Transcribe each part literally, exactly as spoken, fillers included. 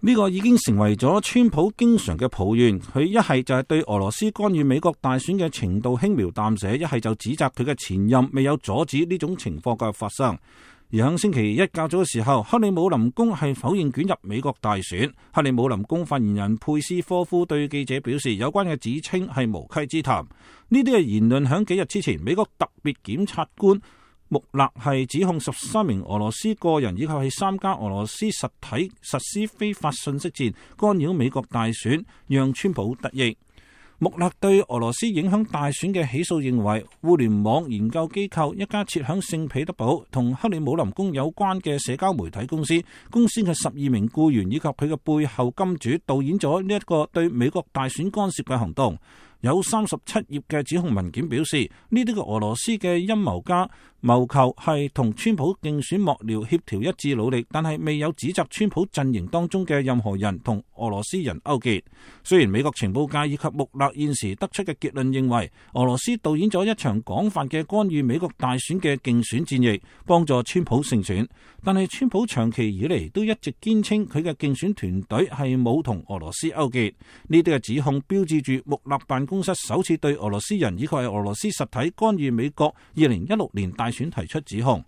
呢個已經成為咗川普經常嘅抱怨，佢一係就係對俄羅斯干預美國大選嘅程度輕描淡寫，一係就指責佢嘅前任未有阻止呢種情況嘅發生。而喺星期一較早嘅時候，克里姆林宮係否認捲入美國大選。克里姆林宮發言人佩斯科夫對記者表示，有關嘅指稱係無稽之談。呢啲嘅言論喺幾日之前，美國特別檢察官穆勒係指控十三名俄羅斯個人以及係三家俄羅斯實體實施非法信息戰，干擾美國大選，讓川普得益。穆勒對俄羅斯影響大選嘅起訴認為，互聯網研究機構一家設響聖彼得堡同克里姆林宮有關嘅社交媒體公司，公司嘅十二名僱員以及佢嘅背後金主導演咗呢一個對美國大選干涉嘅行動。有三十七頁嘅指控文件表示，呢啲嘅俄羅斯嘅陰謀家謀求係同川普競選幕僚協調一致努力，但係未有指責川普陣營當中嘅任何人同俄羅斯人勾結。雖然美國情報界以及穆勒現時得出嘅結論認為，俄羅斯導演咗一場廣泛嘅干預美國大選嘅競選戰役，幫助川普勝選，但係川普長期以嚟都一直堅稱佢嘅競選團隊係冇同俄羅斯勾結。呢啲嘅指控標誌住穆勒辦公室首次對俄羅斯人以及係俄羅斯實體干預美國二零一六年大選提出指控。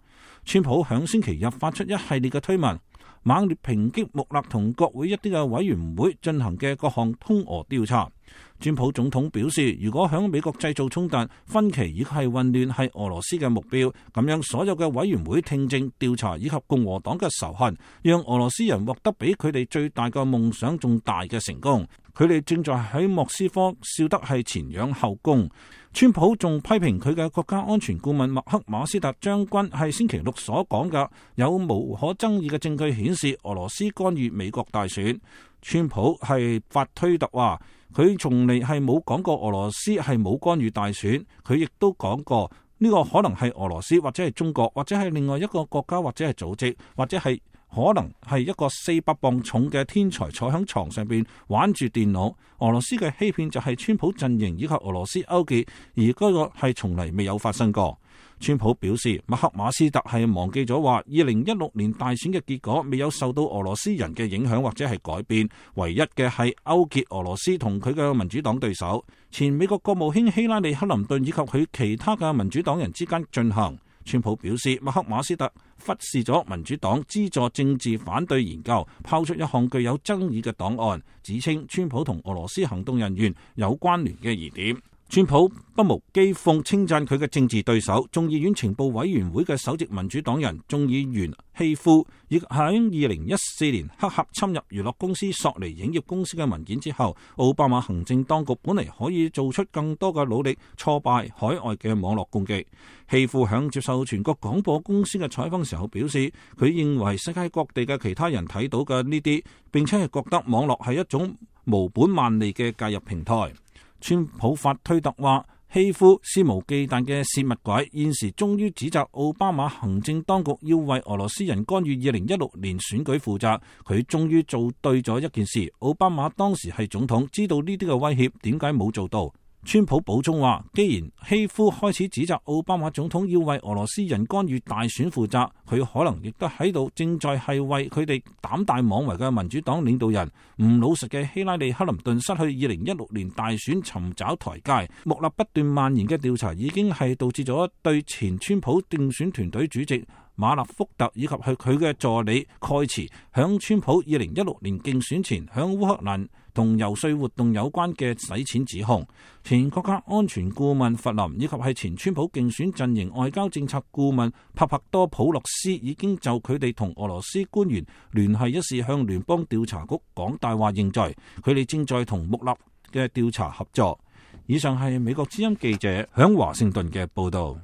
川普響星期日發出一系列嘅推文，猛烈抨擊穆勒同國會一啲嘅委員會進行嘅各項通俄調查。川普總統表示，如果響美國製造衝突、分歧以及係混亂係俄羅斯嘅目標，咁樣所有嘅委員會聽證、調查以及共和黨嘅仇恨，讓俄羅斯人獲得比佢哋最大嘅夢想仲大嘅成功。佢哋正在喺莫斯科笑得係前仰後恭。川普仲批評佢嘅國家安全顧問麥克馬斯特將軍係星期六所講嘅有無可爭議嘅證據顯示俄羅斯干預美國大選。川普係發推特話，佢從嚟係冇講過俄羅斯係冇干預大選，佢亦都講過呢個可能係俄羅斯或者係中國或者係另外一個國家或者係組織或者係可能係一個四百磅重嘅天才坐喺床上邊玩住電腦。俄羅斯嘅欺騙就係川普陣營以及俄羅斯勾結，而嗰個係從嚟未有發生過。川普表示，麥克馬斯特係忘記咗話，二零一六年大選嘅結果未有受到俄羅斯人嘅影響或者係改變，唯一嘅係勾結俄羅斯同佢嘅民主黨對手前美國國務卿希拉里克林頓以及佢其他嘅民主黨人之間進行。川普表示，麥克馬斯特忽視咗民主黨資助政治反對研究，拋出一項具有爭議嘅檔案，指稱川普同俄羅斯行動人員有關聯嘅疑點。川普不無譏諷稱讚佢嘅政治對手眾議院情報委員會嘅首席民主黨人眾議員希夫，亦喺二零一四年黑客侵入娛樂公司索尼影業公司嘅文件之後，奧巴馬行政當局本嚟可以做出更多嘅努力，挫敗海外嘅網絡攻擊。希夫響接受全國廣播公司嘅採訪時候表示，佢認為世界各地嘅其他人睇到嘅呢啲，並且係覺得網絡係一種無本萬利嘅介入平台。川普發推特話，希夫肆無忌憚嘅泄密鬼，現時終於指責奧巴馬行政當局要為俄羅斯人干預二零一六年選舉負責。佢終於做對咗一件事，奧巴馬當時係總統，知道呢啲嘅威脅，點解冇做到？川普補充話，既然希夫開始指責奧巴馬總統要為俄羅斯人干預大選負責，佢可能亦都喺度正在係為佢哋膽大妄為嘅民主黨領導人唔老實嘅希拉里克林頓失去二零一六年大選尋找台階。穆勒不斷蔓延嘅調查已經係導致咗對前川普競選團隊主席馬勒福特以及係佢嘅助理蓋茨響川普二零一六年競選前響烏克蘭同遊說活動有關嘅洗錢指控。前國家安全顧問弗林以及係前川普競選陣營外交政策顧問帕帕多普洛斯已經就佢哋同俄羅斯官員聯繫一事向聯邦調查局講大話認罪，佢哋正在同穆勒嘅調查合作。以上係美國之音記者響華盛頓嘅報道。